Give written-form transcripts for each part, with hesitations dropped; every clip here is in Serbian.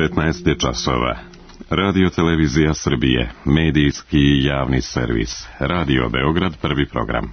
19 je časova. Radio Televizija Srbije, medijski i javni servis. Radio Beograd, prvi program.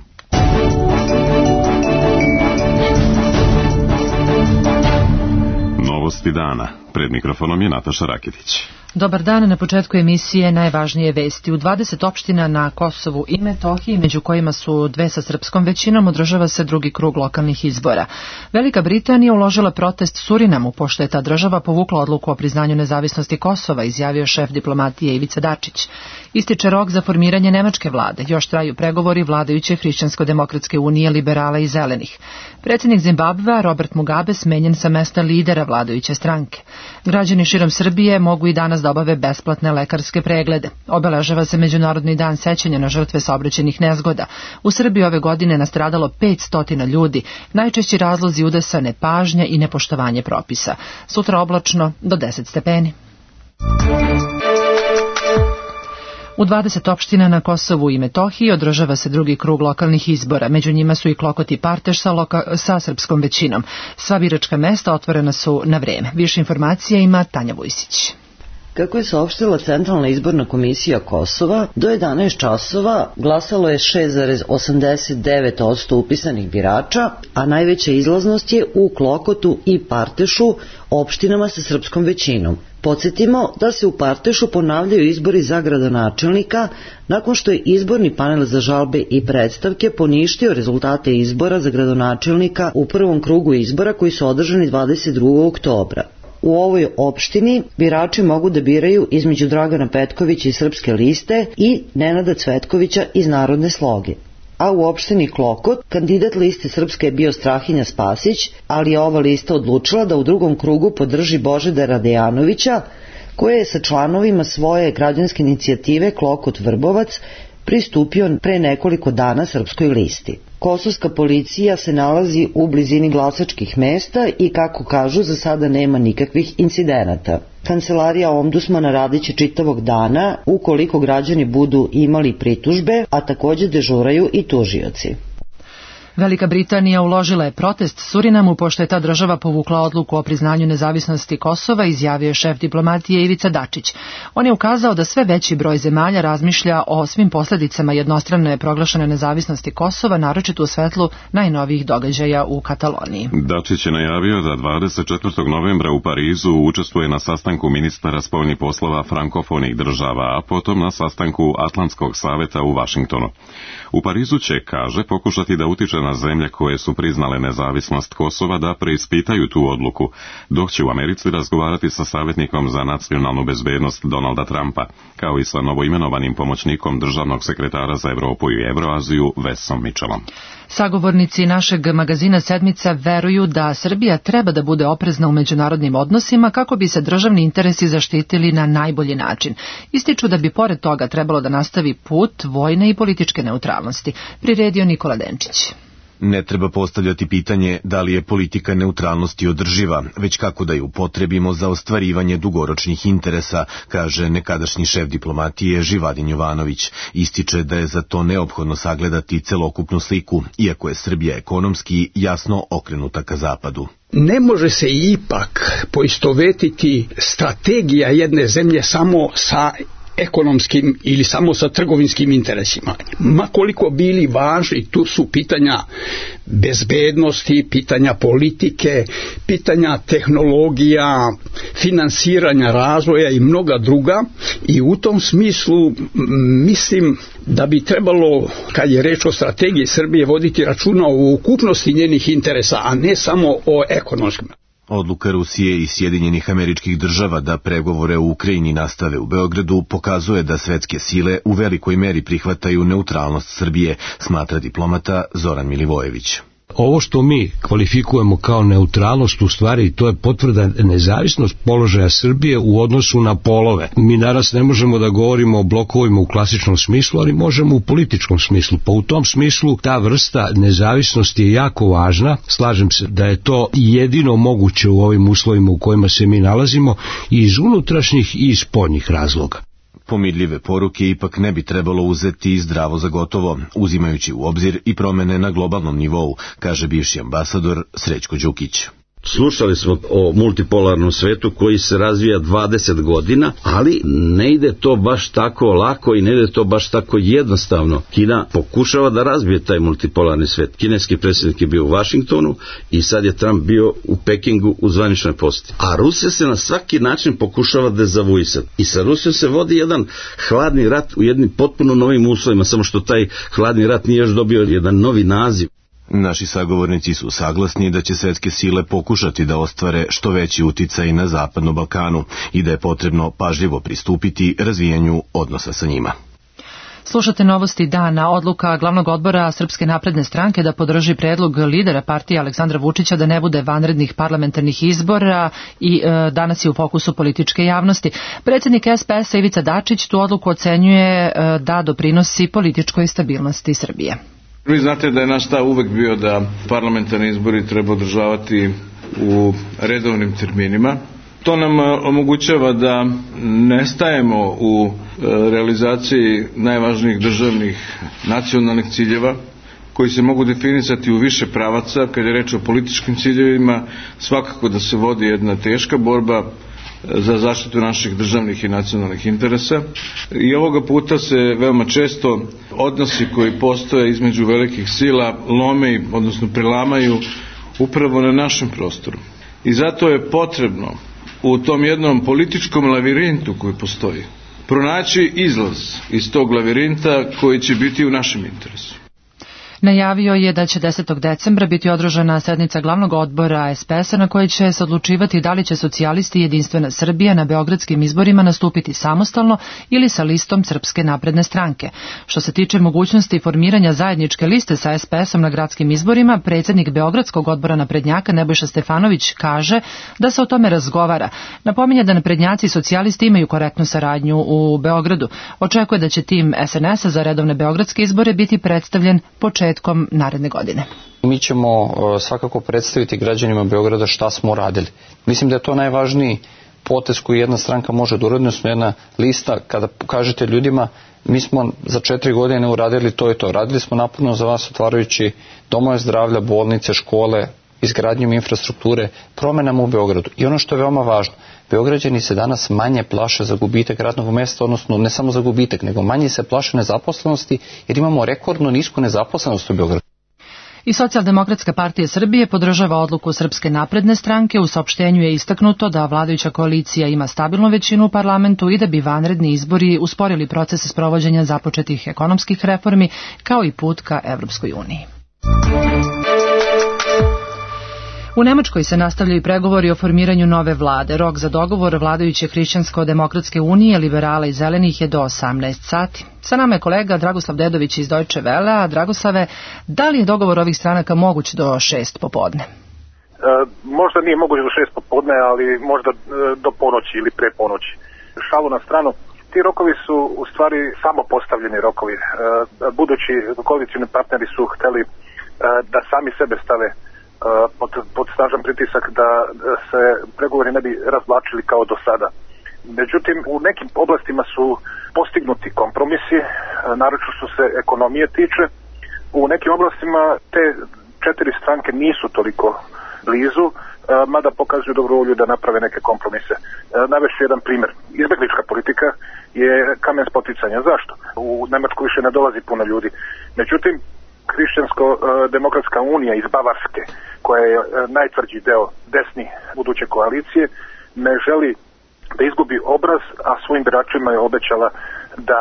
Novosti dana. Pred mikrofonom je Nataša Raketić. Dobar dan, na početku emisije najvažnije vesti. U 20 opština na Kosovu i Metohiji, među kojima su dve sa srpskom većinom, održava se drugi krug lokalnih izbora. Velika Britanija uložila protest Surinamu, pošto je ta država povukla odluku o priznanju nezavisnosti Kosova, izjavio šef diplomatije Ivica Dačić. Ističe rok za formiranje nemačke vlade, još traju pregovori vladajuće Hrišćansko-demokratske unije, liberala i zelenih. Predsjednik Zimbabvea Robert Mugabe smenjen sa mesta lidera vladajuće stranke. Građani širom Srbije mogu i danas da obave besplatne lekarske preglede. Obeležava se Međunarodni dan sećanja na žrtve saobraćajnih nezgoda. U Srbiji ove godine nastradalo 500 ljudi. Najčešći razlozi udesa nepažnja i nepoštovanje propisa. Sutra oblačno do 10 stepeni. U 20 opština na Kosovu i Metohiji održava se drugi krug lokalnih izbora. Među njima su i Klokot i Parteš sa srpskom većinom. Sva biračka mesta otvorena su na vreme. Više informacija ima Tanja Vujsić. Kako je saopštila Centralna izborna komisija Kosova, do 11 časova glasalo je 6,89% upisanih birača, a najveća izlaznost je u Klokotu i Partešu, opštinama sa srpskom većinom. Podsjetimo da se u Partešu ponavljaju izbori za gradonačelnika nakon što je izborni panel za žalbe i predstavke poništio rezultate izbora za gradonačelnika u prvom krugu izbora koji su održani 22. oktobra. U ovoj opštini birači mogu da biraju između Dragana Petkovića iz Srpske liste i Nenada Cvetkovića iz Narodne sloge. A u opštini Klokot kandidat liste Srpske je bio Strahinja Spasić, ali je ova lista odlučila da u drugom krugu podrži Božidara Dejanovića, koji je sa članovima svoje građanske inicijative Klokot Vrbovac pristupio pre nekoliko dana Srpskoj listi. Kosovska policija se nalazi u blizini glasačkih mesta i, kako kažu, za sada nema nikakvih incidenata. Kancelarija ombudsmana radiće čitavog dana ukoliko građani budu imali pritužbe, a također dežuraju i tužioci. Velika Britanija uložila je protest Surinamu, pošto je ta država povukla odluku o priznanju nezavisnosti Kosova, izjavio je šef diplomatije Ivica Dačić. On je ukazao da sve veći broj zemalja razmišlja o svim posljedicama jednostrane proglašene nezavisnosti Kosova, naročito u svetlu najnovijih događaja u Kataloniji. Dačić je najavio da 24. novembra u Parizu učestvuje na sastanku ministara spoljnih poslova frankofonih država, a potom na sastanku Atlantskog saveta u Vašingtonu. U Parizu će, kaže, pokušati da utiče na zemlje koje su priznale nezavisnost Kosova da preispitaju tu odluku, dok će u Americi razgovarati sa savjetnikom za nacionalnu bezbednost Donalda Trumpa, kao i sa novoimenovanim pomoćnikom državnog sekretara za Evropu i Evroaziju Vesom Mitchellom. Sagovornici našeg magazina Sedmica veruju da Srbija treba da bude oprezna u međunarodnim odnosima kako bi se državni interesi zaštitili na najbolji način. Ističu da bi pored toga trebalo da nastavi put vojne i političke neutralnosti. Priredio Nikola Denčić. Ne treba postavljati pitanje da li je politika neutralnosti održiva, već kako da ju upotrebimo za ostvarivanje dugoročnih interesa, kaže nekadašnji šef diplomatije Živadin Jovanović. Ističe da je za to neophodno sagledati celokupnu sliku, iako je Srbija ekonomski jasno okrenuta ka zapadu. Ne može se ipak poistovetiti strategija jedne zemlje samo sa ekonomskim ili samo sa trgovinskim interesima. Ma koliko bili važni, tu su pitanja bezbednosti, pitanja politike, pitanja tehnologija, finansiranja razvoja i mnoga druga, i u tom smislu mislim da bi trebalo, kad je reč o strategiji Srbije, voditi računa o ukupnosti njenih interesa, a ne samo o ekonomskim. Odluka Rusije i Sjedinjenih Američkih Država da pregovore u Ukrajini nastave u Beogradu pokazuje da svetske sile u velikoj meri prihvataju neutralnost Srbije, smatra diplomata Zoran Milivojević. Ovo što mi kvalifikujemo kao neutralnost, u stvari to je potvrda nezavisnost položaja Srbije u odnosu na polove. Mi danas ne možemo da govorimo o blokovima u klasičnom smislu, ali možemo u političkom smislu. Pa u tom smislu ta vrsta nezavisnosti je jako važna. Slažem se da je to jedino moguće u ovim uslovima u kojima se mi nalazimo, i iz unutrašnjih i iz spoljnih razloga. Pomirljive poruke ipak ne bi trebalo uzeti zdravo za gotovo, uzimajući u obzir i promene na globalnom nivou, kaže bivši ambasador Srećko Đukić. Slušali smo o multipolarnom svetu koji se razvija 20 godina, ali ne ide to baš tako lako i ne ide to baš tako jednostavno. Kina pokušava da razbije taj multipolarni svet. Kineski predsjednik je bio u Vašingtonu i sad je Trump bio u Pekingu u zvaničnoj poseti. A Rusija se na svaki način pokušava dezavuisati. I sa Rusijom se vodi jedan hladni rat u jednim potpuno novim uslovima, samo što taj hladni rat nije još dobio jedan novi naziv. Naši sagovornici su saglasni da će svetske sile pokušati da ostvare što veći uticaj na Zapadnom Balkanu i da je potrebno pažljivo pristupiti razvijanju odnosa sa njima. Slušate novosti dana. Odluka glavnog odbora Srpske napredne stranke da podrži predlog lidera partije Aleksandra Vučića da ne bude vanrednih parlamentarnih izbora i danas je u fokusu političke javnosti. Predsjednik SPS-a Ivica Dačić tu odluku ocenjuje da doprinosi političkoj stabilnosti Srbije. Vi znate da je naš stav uvek bio da parlamentarni izbori treba održavati u redovnim terminima. To nam omogućava da ne stajemo u realizaciji najvažnijih državnih nacionalnih ciljeva koji se mogu definisati u više pravaca. Kad je reč o političkim ciljevima, svakako da se vodi jedna teška borba za zaštitu naših državnih i nacionalnih interesa. I ovoga puta se veoma često odnosi koji postoje između velikih sila lome, odnosno prelamaju upravo na našem prostoru. I zato je potrebno u tom jednom političkom lavirintu koji postoji pronaći izlaz iz tog lavirinta koji će biti u našem interesu. Najavio je da će 10. decembra biti održana sednica glavnog odbora SPS-a na kojoj će se odlučivati da li će socijalisti i Jedinstvena Srbija na beogradskim izborima nastupiti samostalno ili sa listom Srpske napredne stranke. Što se tiče mogućnosti formiranja zajedničke liste sa SPS-om na gradskim izborima, predsjednik Beogradskog odbora naprednjaka Nebojša Stefanović kaže da se o tome razgovara. Napominje da naprednjaci i socijalisti imaju korektnu saradnju u Beogradu. Očekuje da će tim SNS-a za redovne beogradske izbore biti predstavljen početkom naredne godine. Mi ćemo svakako predstaviti građanima Beograda šta smo radili. Mislim da je to najvažniji potez koji jedna stranka može da uradi, odnosno jedna lista kada kažete ljudima mi smo za 4 godine uradili to i to. Radili smo naporno za vas otvarajući domove zdravlja, bolnice, škole, izgradnjom infrastrukture, promenama u Beogradu. I ono što je veoma važno, Beograđani se danas manje plaše za gubitak radnog mesta, odnosno ne samo za gubitak, nego manje se plaše nezaposlenosti, jer imamo rekordno nisku nezaposlenost u Beogradu. I Socijaldemokratska partija Srbije podržava odluku Srpske napredne stranke. U saopštenju je istaknuto da vladajuća koalicija ima stabilnu većinu u parlamentu i da bi vanredni izbori usporili proces sprovođenja započetih ekonomskih reformi kao i put ka Evropskoj uniji. U Nemačkoj se nastavljaju pregovori o formiranju nove vlade. Rok za dogovor vladajuće Hrišćansko-demokratske unije, liberala i zelenih je do 18 sati. Sa nama je kolega Dragoslav Dedović iz Deutsche Welle. Dragoslave, da li je dogovor ovih stranaka moguć do 6 popodne? Možda nije moguć do 6 popodne, ali možda do ponoći ili pre ponoći. Šalu na stranu. Ti rokovi su u stvari samo postavljeni rokovi. Budući koalicijni partneri su hteli da sami sebe stave pod snažan pritisak da se pregovori ne bi razvlačili kao do sada. Međutim, u nekim oblastima su postignuti kompromisi, naročito što se ekonomije tiče. U nekim oblastima te 4 stranke nisu toliko blizu, mada pokazuju dobru volju da naprave neke kompromise. Navešću jedan primjer. Izbeglička politika je kamen spoticanja. Zašto? U Nemačku više ne dolazi puno ljudi. Međutim, Hrišćansko-demokratska unija iz Bavarske, koja je najtvrđi deo desni buduće koalicije, ne želi da izgubi obraz, a svojim biračima je obećala da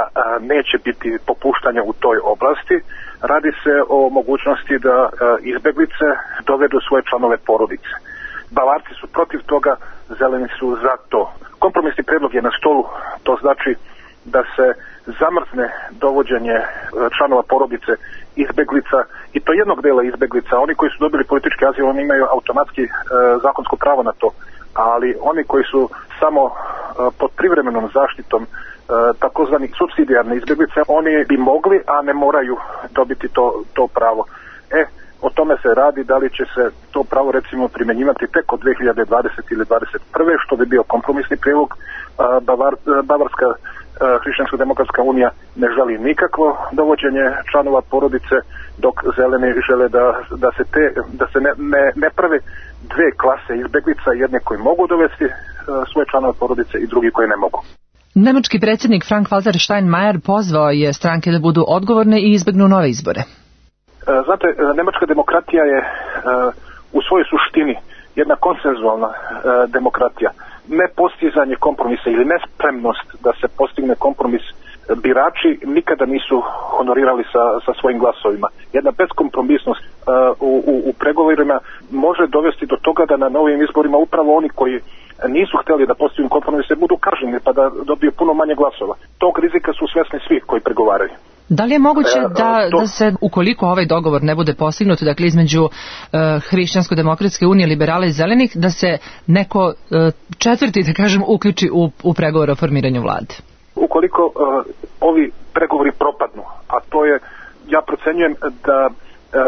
neće biti popuštanja u toj oblasti. Radi se o mogućnosti da izbeglice dovedu svoje članove porodice. Bavarci su protiv toga, zeleni su za to. Kompromisni predlog je na stolu, to znači da se zamrzne dovođenje članova porodice izbeglica, i to jednog dela izbeglica. Oni koji su dobili politički azil, oni imaju automatski zakonsko pravo na to, ali oni koji su samo pod privremenom zaštitom takozvani supsidijarne izbeglice, oni bi mogli, a ne moraju dobiti to pravo. O tome se radi, da li će se to pravo recimo primjenjivati tek od 2020 ili 2021. što bi bio kompromisni prilog. Bavarska Hrišćansko-demokratska unija ne želi nikakvo dovođenje članova porodice, dok zeleni žele da se ne prave dve klase izbeglica, jedne koji mogu dovesti svoje članove porodice i drugi koji ne mogu. Nemački predsjednik Frank-Walter Steinmeier pozvao je stranke da budu odgovorne i izbegnu nove izbore. Znate, nemačka demokratija je u svojoj suštini jedna konsenzualna demokratija. Nepostizanje kompromisa ili nespremnost da se postigne kompromis birači nikada nisu honorirali sa svojim glasovima. Jedna beskompromisnost u pregovorima može dovesti do toga da na novim izborima upravo oni koji nisu htjeli da postignu kompromise budu kažnjeni pa da dobiju puno manje glasova. Tog rizika su svjesni svi koji pregovaraju. Da li je moguće da se, ukoliko ovaj dogovor ne bude postignut, dakle između Hrišćansko-demokratske unije, liberala i zelenih, da se neko četvrti, da kažem, uključi u pregovore o formiranju vlade? Ukoliko ovi pregovori propadnu, a to je, ja procenjujem da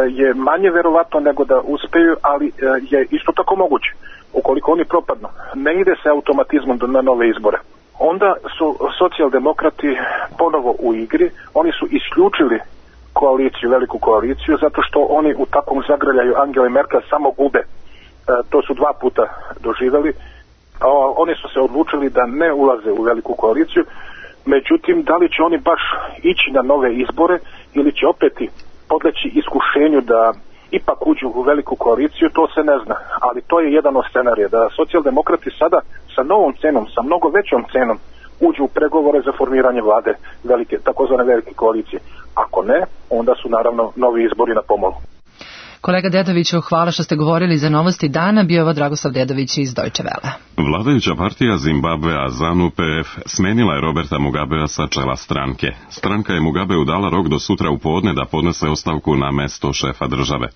je manje verovatno nego da uspeju, ali je isto tako moguće. Ukoliko oni propadnu, ne ide se automatizmom na nove izbore. Onda su socijaldemokrati ponovo u igri, oni su isključili koaliciju, veliku koaliciju, zato što oni u takvom zagrljaju Angele Merkel samo gube. To su 2 puta doživjeli. Oni su se odlučili da ne ulaze u veliku koaliciju, međutim, da li će oni baš ići na nove izbore ili će opet podleći iskušenju da ipak uđu u veliku koaliciju, to se ne zna. Ali to je jedan od scenarija, da socijaldemokrati sada sa novom cenom, sa mnogo većom cenom uđu u pregovore za formiranje vlade, takozvane velike koalicije. Ako ne, onda su naravno novi izbori na pomolu. Kolega Dedoviću, hvala što ste govorili za novosti dana. Bio je ovo Dragoslav Dedović iz Deutsche Welle. Vladajuća partija Zimbabvea ZANU-PF smenila je Roberta Mugabea sa čela stranke. Stranka je Mugabeu dala rok do sutra u podne da podnese ostavku na mesto šefa države.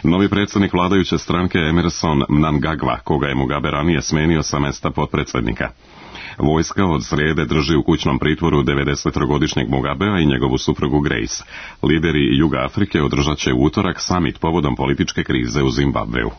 Novi predsjednik vladajuće stranke Emerson Mnangagwa, koga je Mugabe ranije smenio sa mesta potpredsjednika. Vojska od srijede drži u kućnom pritvoru 93-godišnjeg Mugabea i njegovu suprugu Grace. Lideri Juga Afrike održat će u utorak samit povodom političke krize u Zimbabveu.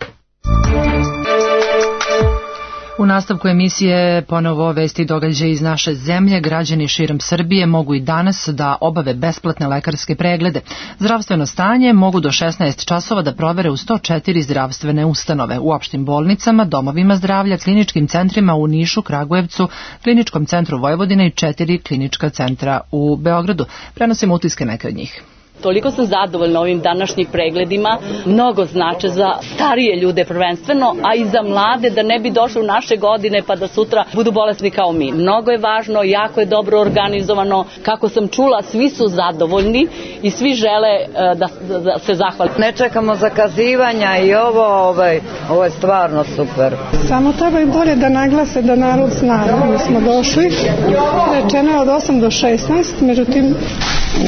U nastavku emisije ponovo vesti i događaje iz naše zemlje. Građani širom Srbije mogu i danas da obave besplatne lekarske preglede. Zdravstveno stanje mogu do 16 časova da provere u 104 zdravstvene ustanove, u opštim bolnicama, domovima zdravlja, kliničkim centrima u Nišu, Kragujevcu, Kliničkom centru Vojvodine i 4 klinička centra u Beogradu. Prenosimo utiske neke od njih. Toliko sam zadovoljna ovim današnjim pregledima, mnogo znače za starije ljude prvenstveno, a i za mlade da ne bi došli u naše godine pa da sutra budu bolesni kao mi. Mnogo je važno, jako je dobro organizovano, kako sam čula svi su zadovoljni i svi žele da se zahvali. Ne čekamo zakazivanja i ovo je stvarno super. Samo treba i bolje da naglase da narod zna. Mi smo došli, rečeno je od 8 do 16, međutim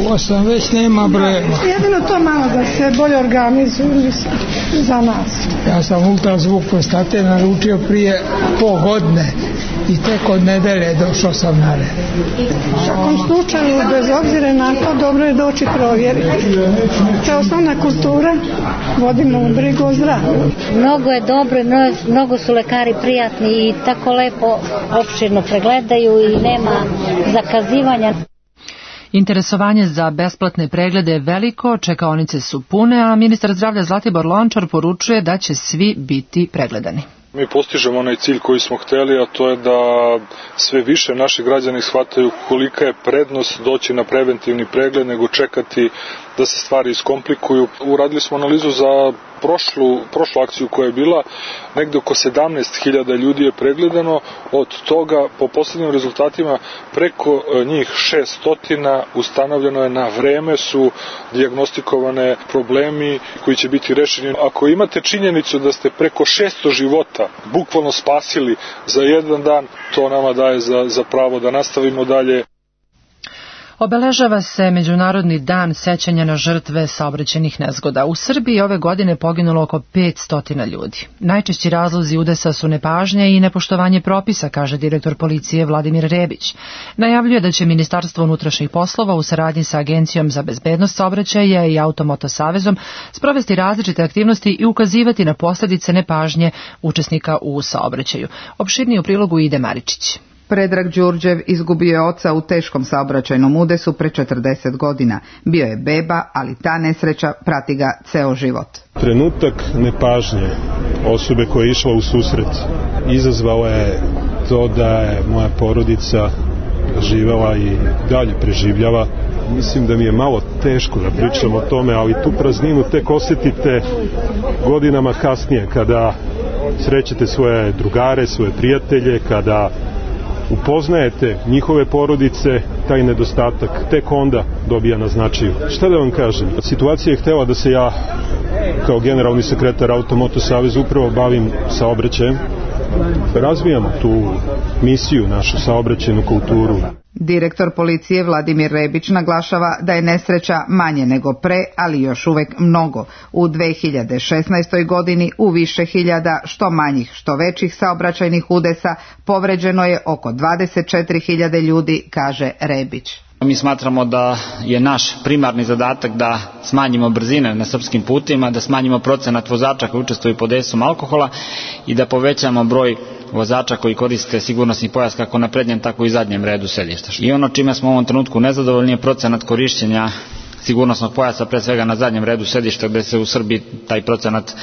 u 8 već nema broja. Jedino to malo da se bolje organizuju za nas. Ja sam ultrazvuk prostate naručio prije pol godine i tek od nedelje došao sam na red. U svakom slučaju, bez obzira na to, dobro je doći provjeriti. To je osnovna kultura, vodimo brigu o zdravlju. Mnogo je dobro, mnogo su lekari prijatni i tako lepo opširno pregledaju i nema zakazivanja. Interesovanje za besplatne preglede je veliko, čekaonice su pune, a ministar zdravlja Zlatibor Lončar poručuje da će svi biti pregledani. Mi postižemo onaj cilj koji smo htjeli, a to je da sve više naši građani shvataju kolika je prednost doći na preventivni pregled nego čekati da se stvari iskomplikuju. Uradili smo analizu za prošlu akciju koja je bila, negde oko 17.000 ljudi je pregledano, od toga po posljednjim rezultatima preko njih 600 ustanovljeno je na vreme, su dijagnostikovane problemi koji će biti rešeni. Ako imate činjenicu da ste preko 600 života bukvalno spasili za jedan dan, to nama daje za pravo da nastavimo dalje. Obeležava se Međunarodni dan sećanja na žrtve saobraćajnih nezgoda. U Srbiji ove godine poginulo oko 500 ljudi. Najčešći razlozi udesa su nepažnja i nepoštovanje propisa, kaže direktor policije Vladimir Rebić. Najavljuje da će Ministarstvo unutrašnjih poslova u saradnji sa Agencijom za bezbednost saobraćaja i Automoto savezom sprovesti različite aktivnosti i ukazivati na posljedice nepažnje učesnika u saobraćaju. Opširnije u prilogu Ide Maričić. Predrag Đurđev izgubio je oca u teškom saobraćajnom udesu pre 40 godina. Bio je beba, ali ta nesreća prati ga ceo život. Trenutak nepažnje osobe koja je išla u susret izazvala je to da je moja porodica živela i dalje preživljava. Mislim da mi je malo teško da pričam o tome, ali tu prazninu tek osjetite godinama kasnije, kada srećete svoje drugare, svoje prijatelje, kada upoznajete njihove porodice, taj nedostatak tek onda dobija na značaju. Šta da vam kažem? Situacija je htela da se ja kao generalni sekretar Automoto Saveza upravo bavim saobraćajem. Razvijamo tu misiju, našu saobraćajnu kulturu. Direktor policije Vladimir Rebić naglašava da je nesreća manje nego pre, ali još uvek mnogo. U 2016. godini u više hiljada, što manjih, što većih saobraćajnih udesa, povređeno je oko 24.000 ljudi, kaže Rebić. Mi smatramo da je naš primarni zadatak da smanjimo brzine na srpskim putima, da smanjimo procenat vozača koji učestvuju pod dejstvom alkohola i da povećamo broj vozača koji koriste sigurnosni pojas kako na prednjem, tako i zadnjem redu sedišta. I ono čime smo u ovom trenutku nezadovoljni je procenat korišćenja sigurnosnog pojasa, pre svega na zadnjem redu sedišta, gde se u Srbiji taj procenat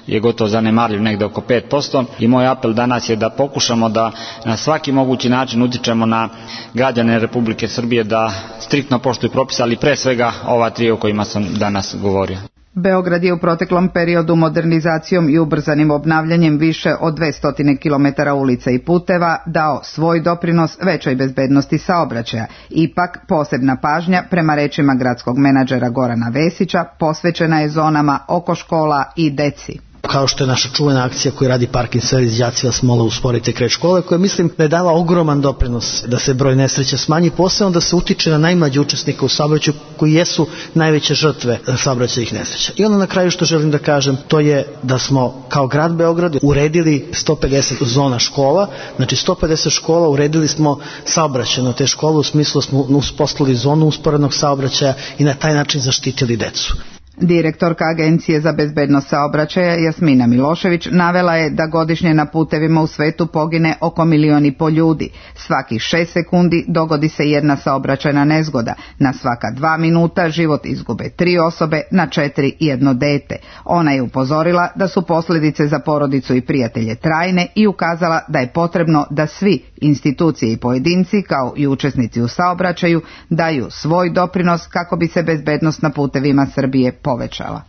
je gotovo zanemarljiv, negde oko 5%. I moj apel danas je da pokušamo da na svaki mogući način utičemo na građane Republike Srbije da striktno poštuju propise, ali pre svega ova tri o kojima sam danas govorio. Beograd je u proteklom periodu modernizacijom i ubrzanim obnavljanjem više od 200 km ulica i puteva dao svoj doprinos većoj bezbednosti saobraćaja. Ipak, posebna pažnja, prema rečima gradskog menadžera Gorana Vesića, posvećena je zonama oko škola i deci. Kao što je naša čuvena akcija koju radi Parking Servis đaci vas mole usporite kraj škole, koja mislim da je dala ogroman doprinos da se broj nesreća smanji, posebno da se utiče na najmlađe učesnike u saobraćaju koji jesu najveće žrtve saobraćajnih nesreća. I onda na kraju što želim da kažem, to je da smo kao grad Beograd uredili 150 zona škola, znači 150 škola uredili smo saobraćajno te škole, u smislu smo uspostavili zonu usporednog saobraćaja i na taj način zaštitili decu. Direktorka Agencije za bezbednost saobraćaja Jasmina Milošević navela je da godišnje na putevima u svetu pogine oko 1,5 miliona ljudi. Svakih 6 sekundi dogodi se jedna saobraćajna nezgoda. Na svaka 2 minuta život izgube 3 osobe, na 4 jedno dete. Ona je upozorila da su posljedice za porodicu i prijatelje trajne i ukazala da je potrebno da svi, institucije i pojedinci, kao i učesnici u saobraćaju, daju svoj doprinos kako bi se bezbednost na putevima Srbije povećala.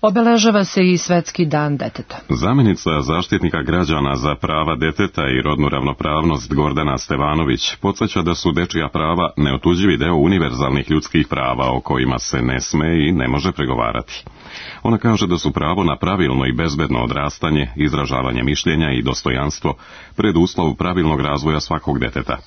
Obeležava se i Svetski dan deteta. Zamjenica zaštitnika građana za prava deteta i rodnu ravnopravnost Gordana Stevanović podsjeća da su dečija prava neotuđivi deo univerzalnih ljudskih prava o kojima se ne sme i ne može pregovarati. Ona kaže da su pravo na pravilno i bezbedno odrastanje, izražavanje mišljenja i dostojanstvo preduslov pravilnog razvoja svakog deteta.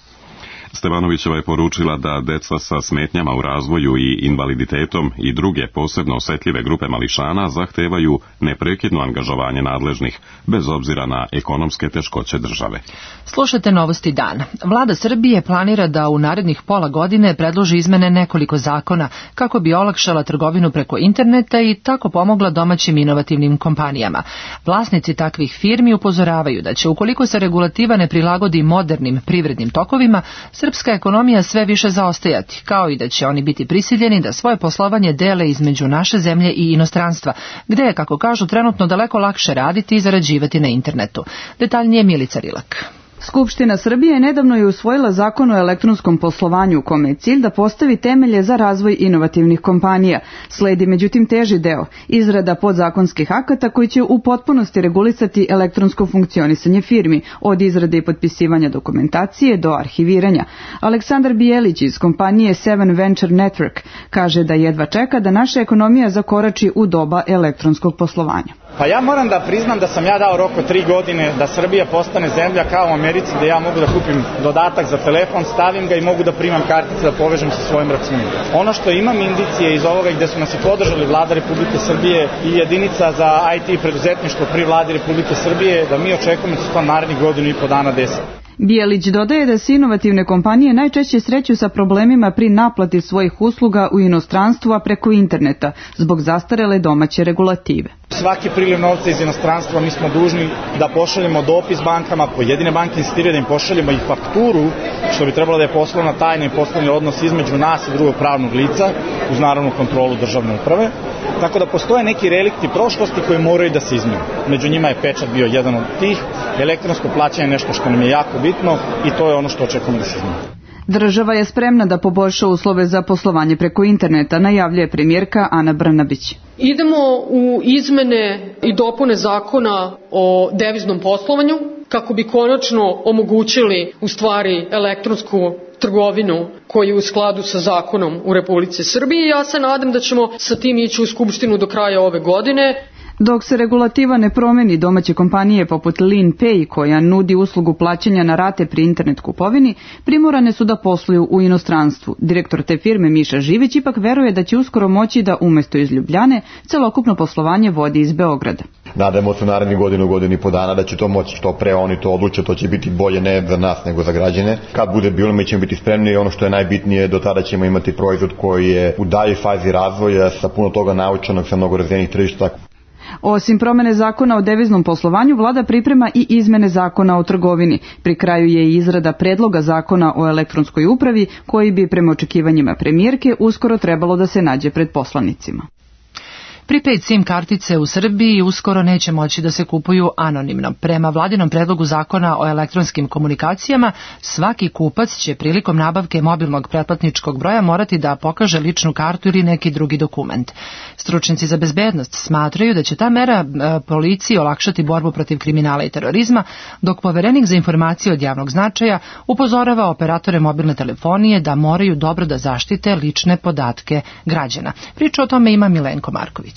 Stevanovićeva je poručila da deca sa smetnjama u razvoju i invaliditetom i druge posebno osetljive grupe mališana zahtevaju neprekidno angažovanje nadležnih, bez obzira na ekonomske teškoće države. Slušajte novosti dana. Vlada Srbije planira da u narednih pola godine predloži izmene nekoliko zakona kako bi olakšala trgovinu preko interneta i tako pomogla domaćim inovativnim kompanijama. Vlasnici takvih firmi upozoravaju da će, ukoliko se regulativa ne prilagodi modernim privrednim tokovima, srpska ekonomija sve više zaostajati, kao i da će oni biti prisiljeni da svoje poslovanje dele između naše zemlje i inostranstva, gde je, kako kažu, trenutno daleko lakše raditi i zarađivati na internetu. Detaljnije Milica Rilak. Skupština Srbije nedavno je usvojila zakon o elektronskom poslovanju u kome je cilj da postavi temelje za razvoj inovativnih kompanija. Sledi međutim teži deo, izrada podzakonskih akata koji će u potpunosti regulisati elektronsko funkcionisanje firmi, od izrade i potpisivanja dokumentacije do arhiviranja. Aleksandar Bijelić iz kompanije Seven Venture Network kaže da jedva čeka da naša ekonomija zakorači u doba elektronskog poslovanja. Pa ja moram da priznam da sam ja dao rok od 3 godine da Srbija postane zemlja kao u Americi, gde ja mogu da kupim dodatak za telefon, stavim ga i mogu da primam kartice da povežem sa svojim računom. Ono što imam indicije iz ovoga gde su nas i podržali Vlada Republike Srbije i jedinica za IT i preduzetništvo pri Vladi Republike Srbije, da mi očekujemo da se to narednih 1,5 godina desi. Bijelić dodaje da se inovativne kompanije najčešće sreću sa problemima pri naplati svojih usluga u inostranstvu, a preko interneta, zbog zastarele domaće regulative. Svaki priliv novca iz inostranstva mi smo dužni da pošaljemo dopis bankama, pojedine banke insistiraju da im pošaljemo i fakturu, što bi trebalo da je poslovna tajna i poslovni odnos između nas i drugog pravnog lica, uz naravnu kontrolu državne uprave. Tako da postoje neki relikti prošlosti koji moraju da se izmene. Među njima je pečat bio jedan od tih. Elektronsko plaćanje je nešto što nam je jako bitno i to je ono što očekujemo da se izmene. Država je spremna da poboljša uslove za poslovanje preko interneta, najavljuje premijerka Ana Brnabić. Idemo u izmene i dopune zakona o deviznom poslovanju kako bi konačno omogućili u stvari elektronsku trgovinu koji je u skladu sa zakonom u Republici Srbiji. Ja se nadam da ćemo sa tim ići u Skupštinu do kraja ove godine. Dok se regulativa ne promeni, domaće kompanije poput LeanPay, koja nudi uslugu plaćanja na rate pri internet kupovini, primorane su da posluju u inostranstvu. Direktor te firme Miša Živić ipak veruje da će uskoro moći da umesto iz Ljubljane celokupno poslovanje vodi iz Beograda. Nadamo se u narednih godinu i po dana da će to moći što pre oni to odluče, to će biti bolje ne za nas nego za građane. Kad bude bilo, mi ćemo biti spremni i ono što je najbitnije, do tada ćemo imati proizvod koji je u daljoj fazi razvoja sa puno toga naučenog, sa mnogo razvijenih tržišta. Osim promene zakona o deviznom poslovanju, vlada priprema i izmene zakona o trgovini. Pri kraju je i izrada predloga zakona o elektronskoj upravi, koji bi prema očekivanjima premijerke uskoro trebalo da se nađe pred poslanicima. Prepaid SIM kartice u Srbiji uskoro neće moći da se kupuju anonimno. Prema vladinom predlogu zakona o elektronskim komunikacijama, svaki kupac će prilikom nabavke mobilnog pretplatničkog broja morati da pokaže ličnu kartu ili neki drugi dokument. Stručnjaci za bezbednost smatraju da će ta mera policiji olakšati borbu protiv kriminala i terorizma, dok poverenik za informacije od javnog značaja upozorava operatore mobilne telefonije da moraju dobro da zaštite lične podatke građana. Priču o tome ima Milenko Marković.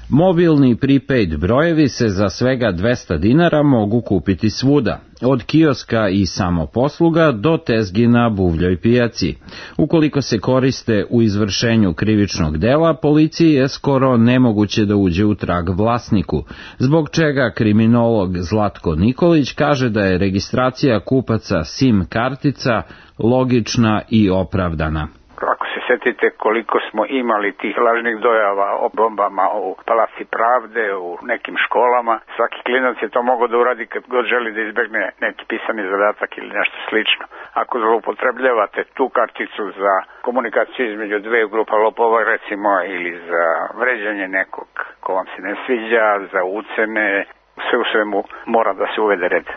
Mobilni prepaid brojevi se za svega 200 dinara mogu kupiti svuda, od kioska i samoposluga do tezgi na buvljoj pijaci. Ukoliko se koriste u izvršenju krivičnog dela, policiji je skoro nemoguće da uđe u trag vlasniku, zbog čega kriminolog Zlatko Nikolić kaže da je registracija kupaca SIM kartica logična i opravdana. Ako se setite koliko smo imali tih lažnih dojava o bombama u Palati Pravde, u nekim školama, svaki klinac je to mogao da uradi kad god želi da izbegne neki pisani zadatak ili nešto slično. Ako zloupotrebljavate tu karticu za komunikaciju između dve grupa lopova, recimo, ili za vređanje nekog ko vam se ne sviđa, za ucene, sve u svemu mora da se uvede red.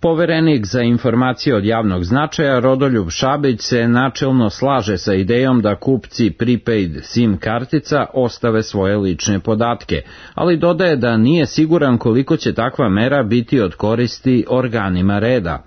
Poverenik za informacije od javnog značaja Rodoljub Šabić se načelno slaže sa idejom da kupci prepaid SIM kartica ostave svoje lične podatke, ali dodaje da nije siguran koliko će takva mera biti od koristi organima reda.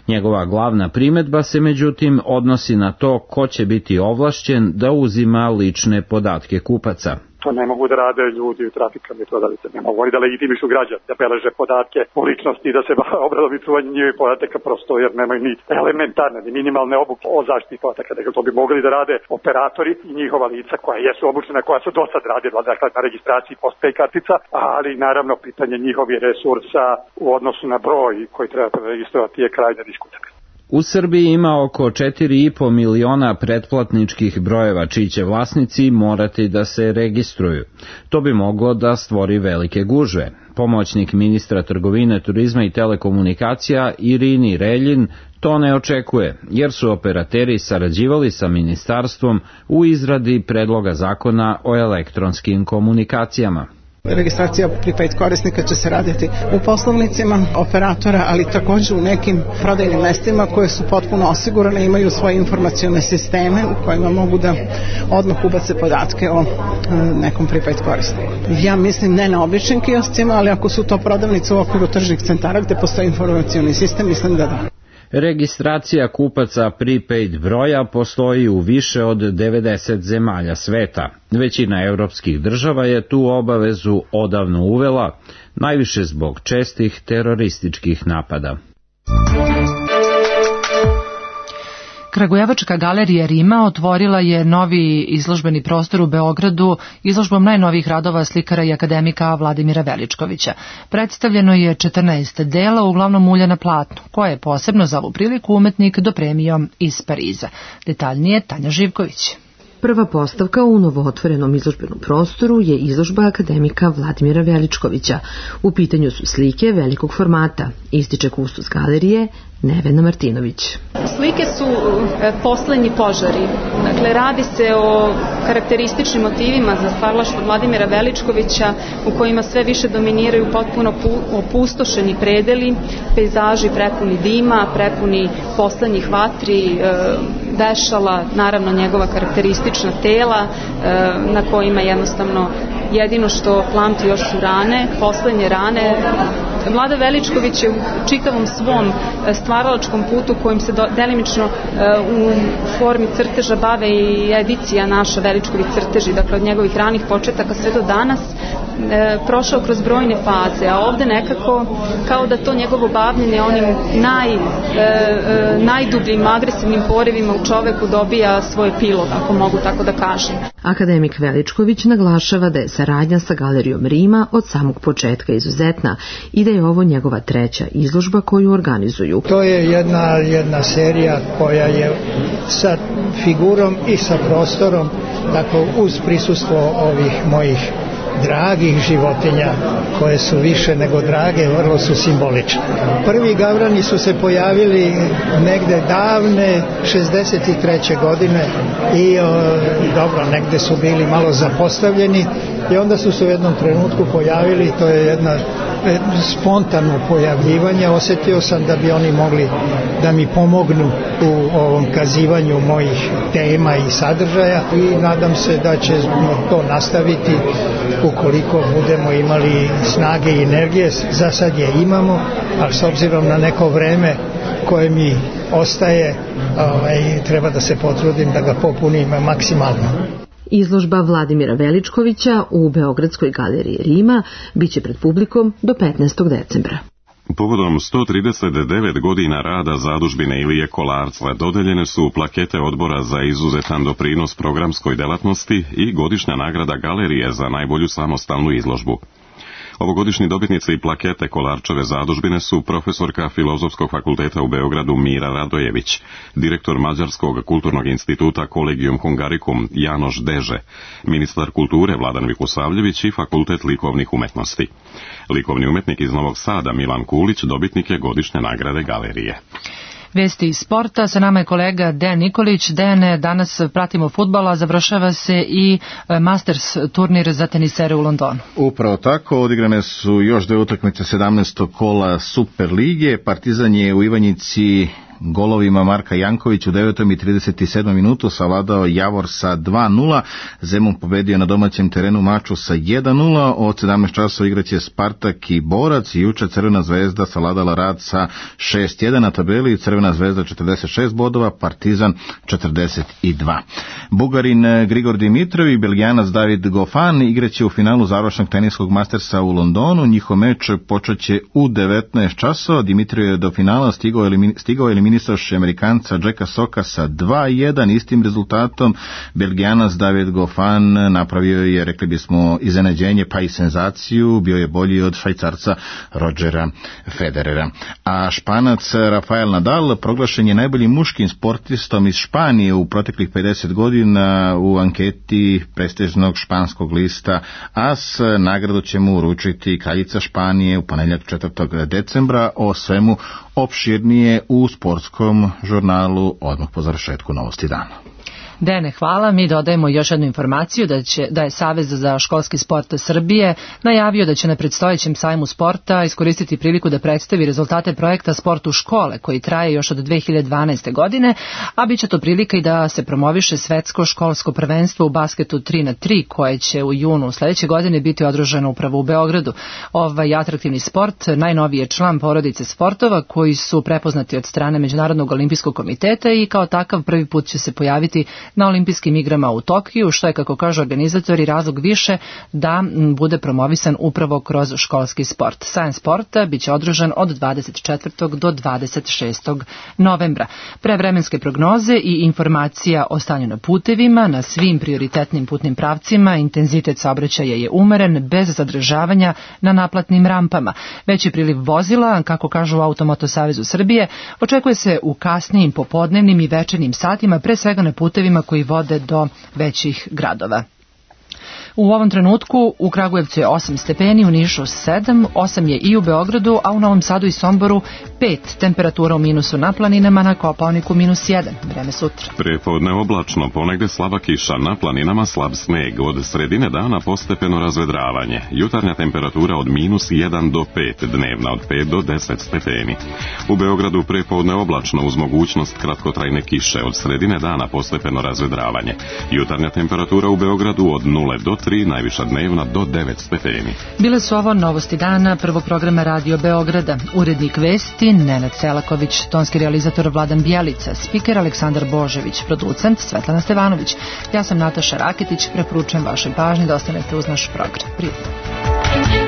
Njegova glavna primedba se međutim odnosi na to ko će biti ovlašćen da uzima lične podatke kupaca. To ne mogu da rade ljudi u trafikama i prodavnice. Ne mogu oni da legitimišu građane, da beleže podatke o ličnosti i da se obradovi čuvanje njihovih podataka prosto jer nemaju ni elementarne, ni minimalne obuke o zaštiti podataka. Dakle, to bi mogli da rade operatori i njihova lica koja jesu obučena, koja su do sad radila, dakle, na registraciji postpay kartica, ali naravno pitanje njihovih resursa u odnosu na broj koji treba registrovati je krajnje diskutabilno. U Srbiji ima oko 4,5 miliona pretplatničkih brojeva čiji će vlasnici morati da se registruju. To bi moglo da stvori velike gužve. Pomoćnik ministra trgovine, turizma i telekomunikacija Irini Reljin to ne očekuje, jer su operateri sarađivali sa ministarstvom u izradi predloga zakona o elektronskim komunikacijama. Registracija prepaid korisnika će se raditi u poslovnicima operatora, ali također u nekim prodajnim mestima koje su potpuno osigurane, imaju svoje informacione sisteme u kojima mogu da odmah ubace podatke o nekom prepaid korisniku. Ja mislim ne na običnim kioscima, ali ako su to prodavnice u okviru tržnih centara gde postoji informacioni sistem, mislim da da. Registracija kupaca prepaid broja postoji u više od 90 zemalja sveta. Većina evropskih država je tu obavezu odavno uvela, najviše zbog čestih terorističkih napada. Kragujevačka galerija Rima otvorila je novi izložbeni prostor u Beogradu izložbom najnovijih radova slikara i akademika Vladimira Veličkovića. Predstavljeno je 14 dela, uglavnom ulja na platnu, koje je posebno za ovu priliku umetnik dopremio iz Pariza. Detaljnije Tanja Živković. Prva postavka u novootvorenom izložbenom prostoru je izložba akademika Vladimira Veličkovića. U pitanju su slike velikog formata, ističe kustos galerije Nevena Martinović. Slike su poslednji požari. Dakle, radi se o karakterističnim motivima za stvaralaštvo Vladimira Veličkovića u kojima sve više dominiraju potpuno opustošeni predeli, pejzaži prepuni dima, prepuni poslednjih vatri, vešala, naravno njegova karakteristična tela na kojima jednostavno jedino što plamti još su rane, poslednje rane. Vlada Veličković je u čitavom svom stvaralačkom putu kojim se delimično u formi crteža bave i edicija naša Veličković crteži, dakle od njegovih ranih početaka sve do danas, prošao kroz brojne faze, a ovde nekako kao da to njegovo bavljenje onim najdubljim agresivnim porivima u čoveku dobija svoj epilog, ako mogu tako da kažem. Akademik Veličković naglašava da je saradnja sa Galerijom Rima od samog početka izuzetna i da je ovo njegova treća izložba koju organizuju. To je jedna serija koja je sa figurom i sa prostorom, dakle uz prisustvo ovih mojih dragih životinja koje su više nego drage, vrlo su simbolične. Prvi gavrani su se pojavili negde davne 63. godine i dobro, negde su bili malo zapostavljeni i onda su se u jednom trenutku pojavili, to je jedna spontano pojavljivanje. Osetio sam da bi oni mogli da mi pomognu u ovom kazivanju mojih tema i sadržaja i nadam se da će to nastaviti ukoliko budemo imali snage i energije. Za sad je imamo, ali s obzirom na neko vreme koje mi ostaje, treba da se potrudim da ga popunim maksimalno. Izložba Vladimira Veličkovića u Beogradskoj galeriji Rima biće pred publikom do 15. decembra. Povodom 139 godina rada zadužbine Ilije Kolarca dodeljene su plakete odbora za izuzetan doprinos programskoj delatnosti i godišnja nagrada galerije za najbolju samostalnu izložbu. Ovogodišnji dobitnici plakete Kolarčeve zadužbine su profesorka Filozofskog fakulteta u Beogradu Mira Radojević, direktor Mađarskog kulturnog instituta Collegium Hungaricum Janoš Deže, ministar kulture Vladan Vikusavljević i Fakultet likovnih umetnosti. Likovni umetnik iz Novog Sada Milan Kulić dobitnik je godišnje nagrade galerije. Vesti iz sporta, sa nama je kolega Dejan Nikolić. Dejane, danas pratimo fudbal, a završava se i Masters turnir za tenisere u Londonu. Upravo tako, odigrane su još dve utakmice 17. kola Super lige. Partizan je u Ivanjici golovima Marka Jankovića u 9. i 37. minutu savladao Javor sa 2-0. Zemun pobedio na domaćem terenu Maču sa 1-0. Od 17 časova igraće Spartak i Borac. Juče Crvena zvezda savladala Rad sa 6-1 na tabeli. Crvena zvezda 46 bodova, Partizan 42. Bugarin Grigor Dimitrov i Belgijanac David Goffin igraće u finalu završnog teniskog Mastersa u Londonu. Njihov meč počeće u 19 časova. Dimitrov je do finala stigao eliminisavši Amerikanca Jacka Soka sa 2-1. Istim rezultatom Belgijanac David Goffin napravio je, rekli bismo, iznenađenje pa i senzaciju, bio je bolji od Švajcarca Rodgera Federera. A Španac Rafael Nadal proglašen je najboljim muškim sportistom iz Španije u proteklih 50 godina u anketi prestižnog španskog lista AS. Nagradu će mu uručiti kraljica Španije u ponedjeljak 4. decembra. O svemu opširnije u sportskom žurnalu odmah po završetku Novosti dana. Dene, hvala. Mi dodajemo još jednu informaciju da je Savez za školski sport Srbije najavio da će na predstojećem sajmu sporta iskoristiti priliku da predstavi rezultate projekta Sport u škole koji traje još od 2012. godine, a bit će to prilika i da se promoviše svetsko školsko prvenstvo u basketu 3x3 koje će u junu sledeće godine biti održano upravo u Beogradu. Ovaj atraktivni sport najnoviji je član porodice sportova koji su prepoznati od strane Međunarodnog olimpijskog komiteta i kao takav prvi put će se pojaviti na olimpijskim igrama u Tokiju, što je, kako kažu organizatori, razlog više da bude promovisan upravo kroz školski sport. Sajam sporta biće održan od 24. do 26. novembra. Prevremenske prognoze i informacija o stanju na putevima, na svim prioritetnim putnim pravcima, intenzitet saobraćaja je umeren, bez zadržavanja na naplatnim rampama. Veći priliv vozila, kako kažu u Automoto Savezu Srbije, očekuje se u kasnijim popodnevnim i večernjim satima, pre svega na putevima putevima koji vode do većih gradova. U ovom trenutku u Kragujevcu je 8 stepeni, u Nišu 7, 8 je i u Beogradu, a u Novom Sadu i Somboru 5, temperatura u minusu na planinama, na Kopaoniku -1, vreme sutra. Prepodne oblačno, ponegde slaba kiša, na planinama slab sneg, od sredine dana postepeno razvedravanje, jutarnja temperatura od -1 do 5, dnevna od 5 do 10 stepeni. U Beogradu prepodne oblačno uz mogućnost kratkotrajne kiše, od sredine dana postepeno razvedravanje, jutarnja temperatura u Beogradu od 0 do 3, najviša dnevna do 9 stepeni. Bile su ovo novosti dana prvog programa Radio Beograda. Urednik vesti Nenad Selaković, tonski realizator Vladan Bjelica, spiker Aleksandar Božević, producent Svetlana Stevanović. Ja sam Nataša Raketić, preporučujem vašoj pažnji da ostanete uz naš program. Prijatno.